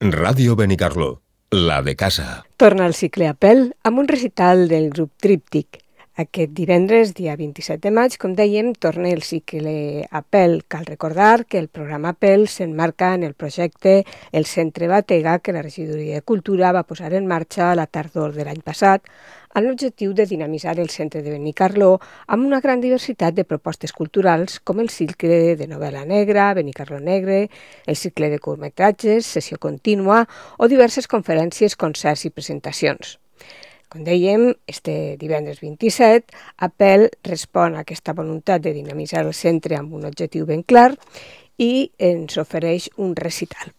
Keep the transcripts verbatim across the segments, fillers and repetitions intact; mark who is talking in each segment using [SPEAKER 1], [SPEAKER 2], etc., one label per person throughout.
[SPEAKER 1] Ràdio Benicarló, la de casa.
[SPEAKER 2] Torna al cicle Apel amb un recital del grup Tríptic. Aquest divendres, dia vint-i-set de maig, com dèiem, torna el cicle Apel. Cal recordar que el programa Apel s'emmarca en el projecte El Centre Batega, que la Regidoria de Cultura va posar en marxa a la tardor de l'any passat, amb l'objectiu de dinamitzar el centre de Benicarló amb una gran diversitat de propostes culturals, com el cicle de novel·la negra, Benicarló Negre, el cicle de curtmetratges, sessió contínua o diverses conferències, concerts i presentacions. Com dèiem, este divendres vint-i-set, Apel respon a aquesta voluntat de dinamitzar el centre amb un objectiu ben clar i ens ofereix un recital.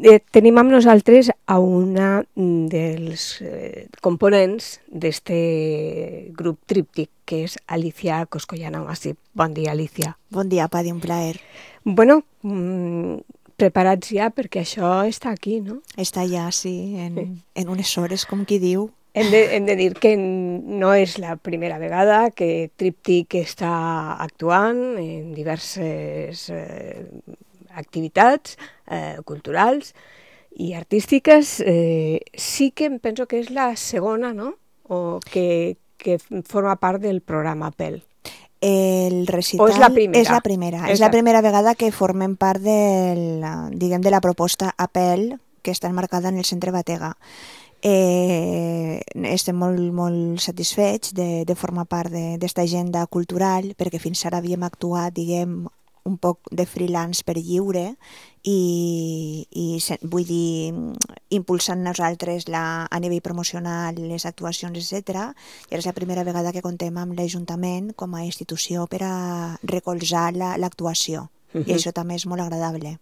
[SPEAKER 2] Eh, tenim amb nosaltres a una dels eh, components d'aquest grup Tríptic, que és Alicia Coscollana Massip. Bon dia, Alicia.
[SPEAKER 3] Bon dia, Padi, un plaer.
[SPEAKER 2] Bueno, mmm, preparats ja perquè això està aquí, no?
[SPEAKER 3] Està ja, sí, en, en unes hores, com qui diu.
[SPEAKER 2] Hem de, hem de dir que no és la primera vegada que Tríptic està actuant en diverses eh, activitats eh, culturals i artístiques. Eh, sí que em penso que és la segona, no? O que, que forma part del programa Apel.
[SPEAKER 3] El recital
[SPEAKER 2] o és la primera?
[SPEAKER 3] És la primera. És, és la primera vegada que formem part del, diguem, de la proposta Apel, que està enmarcada en el Centre Batega. Eh, estem molt, molt satisfets de, de formar part d'aquesta agenda cultural, perquè fins ara havíem actuat, diguem, un poc de freelance per lliure i, i vull dir, impulsant nosaltres la, a nivell promocional les actuacions, etcètera. I és la primera vegada que contem amb l'Ajuntament com a institució per a recolzar l'actuació. La, uh-huh. I això també és molt agradable.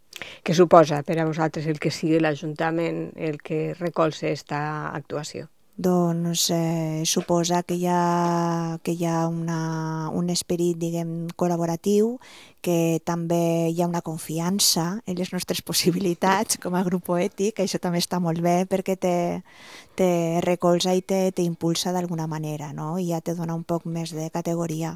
[SPEAKER 2] Què suposa per a vosaltres el que sigui l'Ajuntament el que recolza aquesta actuació?
[SPEAKER 3] Doncs eh, suposa que hi ha, que hi ha una, un esperit, diguem, col·laboratiu, que també hi ha una confiança en les nostres possibilitats com a grup poètic. Això també està molt bé perquè te, te recolza i te, te impulsa d'alguna manera, no? I ja te dona un poc més de categoria.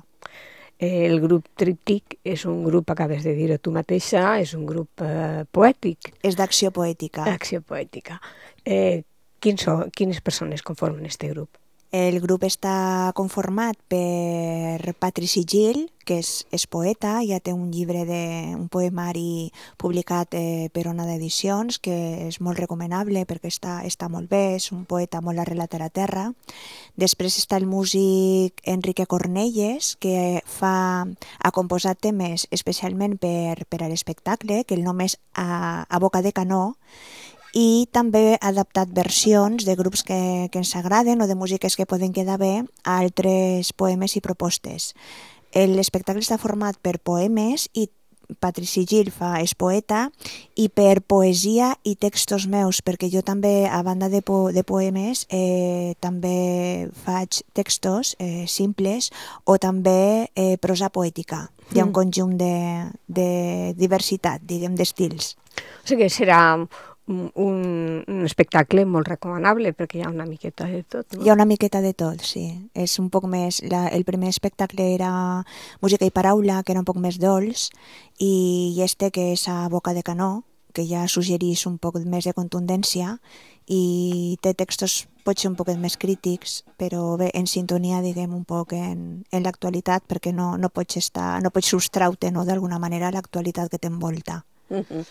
[SPEAKER 2] El grup Tríptic és un grup, acabes de dir-ho tu mateixa, és un grup eh, poètic.
[SPEAKER 3] És d'acció poètica.
[SPEAKER 2] D'acció poètica. Eh, quins són, quines persones conformen aquest grup?
[SPEAKER 3] El grup està conformat per Patrici Gil, que és, és poeta, ja té un llibre, de, un poemari publicat eh, per Ona d'Edicions, que és molt recomanable perquè està, està molt bé, és un poeta molt arrelat a la terra. Després està el músic Enrique Cornelles, que fa, ha composat temes especialment per, per a l'espectacle, que el nom és A, a Boca de Canó, i també ha adaptat versions de grups que, que ens agraden o de músiques que poden quedar bé a altres poemes i propostes. L'espectacle està format per poemes i Patrici Gil fa, és poeta, i per poesia i textos meus, perquè jo també, a banda de, po, de poemes, eh, també faig textos eh, simples o també eh, prosa poètica. Hi ha un conjunt de, de diversitat, diguem, d'estils.
[SPEAKER 2] O sigui que serà un, un espectacle molt recomanable perquè hi ha una miqueta de tot, no?
[SPEAKER 3] Hi ha una miqueta de tot, sí. És un poc més... La, el primer espectacle era música i paraula, que era un poc més dolç, i este, que és A Boca de Canó, que ja suggerís un poc més de contundència, i té textos potser un poc més crítics, però bé, en sintonia, diguem, un poc en, en l'actualitat, perquè no, no pots estar, no pots sostraute, no, d'alguna manera, l'actualitat que t'envolta.
[SPEAKER 2] Uh-huh.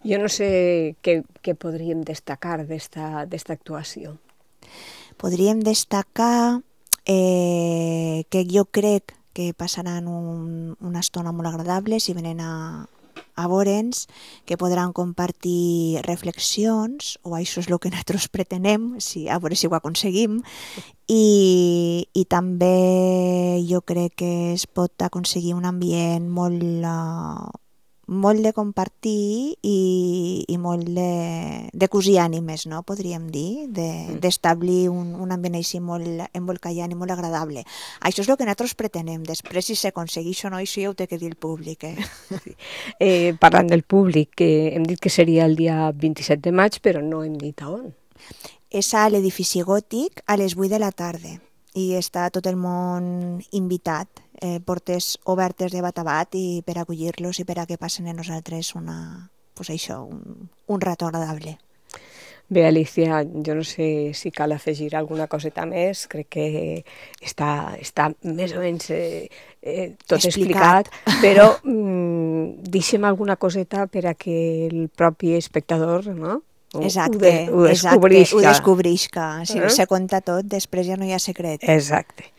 [SPEAKER 2] Jo no sé què, què podríem destacar d'esta actuació.
[SPEAKER 3] Podríem destacar eh, que jo crec que passaran un, una estona molt agradable si venen a, a veure'ns, que podran compartir reflexions, o això és el que nosaltres pretenem, si, a veure si ho aconseguim, i, i també jo crec que es pot aconseguir un ambient molt... Uh, molt de compartir i, i molt de, de cosir ànimes, no? Podríem dir, d'establir de, un, un ambient així molt embolcallant i molt agradable. Això és el que nosaltres pretenem. Després, si s'aconsegueix o no, això ja ho té que dir el públic. Eh?
[SPEAKER 2] Eh, parlant del públic, eh, hem dit que seria el dia vint-i-set de maig, però no hem dit a on.
[SPEAKER 3] És a l'edifici gòtic a les vuit de la tarda i està tot el món invitat. Eh, portes obertes de bat a bat i per acollir-los i per a que passen a nosaltres una, pues això, un, un rato agradable.
[SPEAKER 2] Bé, Alicia, jo no sé si cal afegir alguna coseta més, crec que està, està més o menys eh, eh, tot explicat, explicat però mm, deixem alguna coseta per a que el propi espectador, no? Ho,
[SPEAKER 3] exacte,
[SPEAKER 2] ho, de, ho descobrisca.
[SPEAKER 3] Exacte, ho descobrisca. Si
[SPEAKER 2] eh?
[SPEAKER 3] se conta tot, després ja no hi ha secret.
[SPEAKER 2] Exacte.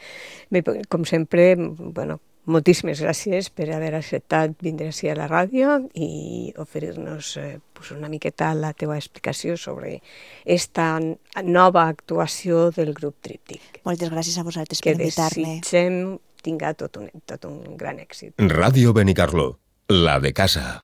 [SPEAKER 2] Bé, com sempre, bueno, moltíssimes gràcies per haver acceptat vindre així a la ràdio i oferir-nos eh, pues una miqueta la teva explicació sobre esta nova actuació del grup Tríptic.
[SPEAKER 3] Moltes gràcies a vosaltres per invitar-me.
[SPEAKER 2] Que desitgem tinga tot un, tot un gran èxit.
[SPEAKER 1] Ràdio Benicarló, la de casa.